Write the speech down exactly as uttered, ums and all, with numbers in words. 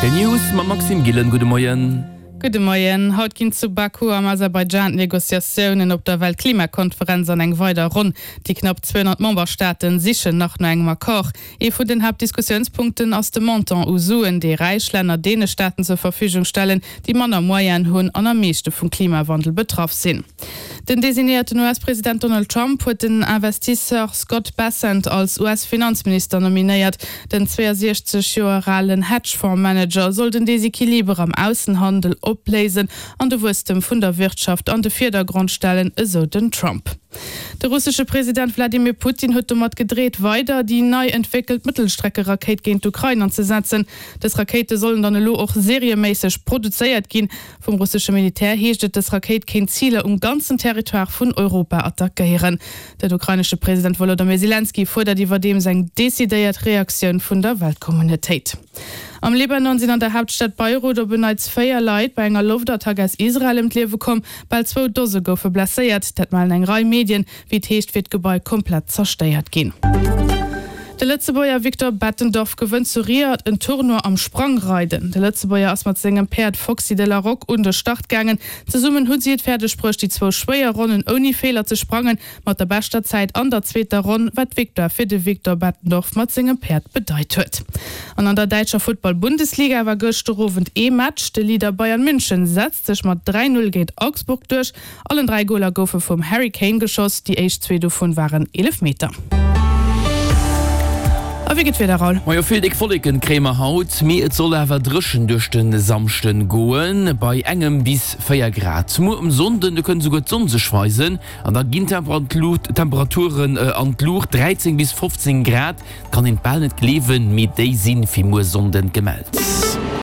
D'News mam Maxime Gillen. Gudde Moien. Gudde Moien. Haut ginn zu Baku am Aserbaidschan d'Negociatiounen op der Weltklimakonferenz an eng weider Ronn. Déi knapp zweehonnert Memberstaaten sichen nach no engem Accord. Ee vun den Haaptdiskussiounspunkten ass de Montant u Suen, dee räich Länner deene Staaten zur Verfügung stellen, déi manner Moyenen hunn an am meeschte vum Klimawandel betraff sinn. Den designéierten U S-President Donald Trump huet den Investisseur Scott Bessent als U S-Finanzminister nominéiert. Den zweeësiechzeg Joer alen Hedgefonds-Manager soll den Desequiliber am Aussenhandel opléisen an de Wuesstem vun der Wirtschaft an de Virdergrond stellen, esou den Trump. De russesche President Wladimir Putin huet domat gedreet, weider déi nei entwéckelt Mëttelstreckerakéit géint d'Ukrain anzesetzen. Dës Rakéite sollen dann elo och serieméisseg produzéiert ginn. Vum russesche Militär heescht et, dës Rakéit kéint Ziler um ganzen Territoire vun Europa attackéieren. Den ukrainesche President Wolodymyr Selenskyj fuerdert iwwerdeems eng decidéiert Reaktioun vun der Weltkommunautéit. Am Libanon sinn an der Haaptstad Beirut op en Neits véier Leit bei enger Loftattack aus Israel ëm d'Liewe komm. Bal zwou Dose goufe blesséiert, dat mellen eng Rei Medien. Wéi et heescht, wier d'Gebai komplett zerstéiert ginn. De Lëtzebuerger Victor Bettendorf gewënnt zu Riyadh en Tournoi am Sprangreiden. De Lëtzebuerger ass mat sengem Päerd Foxy de la Roque un de Start gaangen. Zesummen hu si et fäerdeg bruecht, déi zwou schwéier Ronnen ouni Feeler ze sprangen, mat der beschter Zäit an der zweeter Ronn, wat d'Victoire fir de Victor Bettendorf mat sengem Päerd bedeit huet. An an der däitscher Futtball-Bundesliga war gëschter Owend ee Match. De Leader Bayern München setzt sech mat dräi Null géint Augsburg duerch. Allen dräi Goler goufe vum Harry Kane geschoss, déi éischt zwee dovun waren Eelefmeter. A wéi geet d'Wieder, Raoul? Majo, vill déck Wolleken kréie mer haut, mee et soll awer dréchen duerch de Samschden goen, bei engem bis véier Grad. Muer um Sonnden, do kënnt esouguer d'Sonn sech weisen an da ginn d'Temperaturen an d'Luucht, dräizéng bis fofzéng Grad. Et kann een et bal net gleewen, mee déi si fir muer Sonnden gemellt.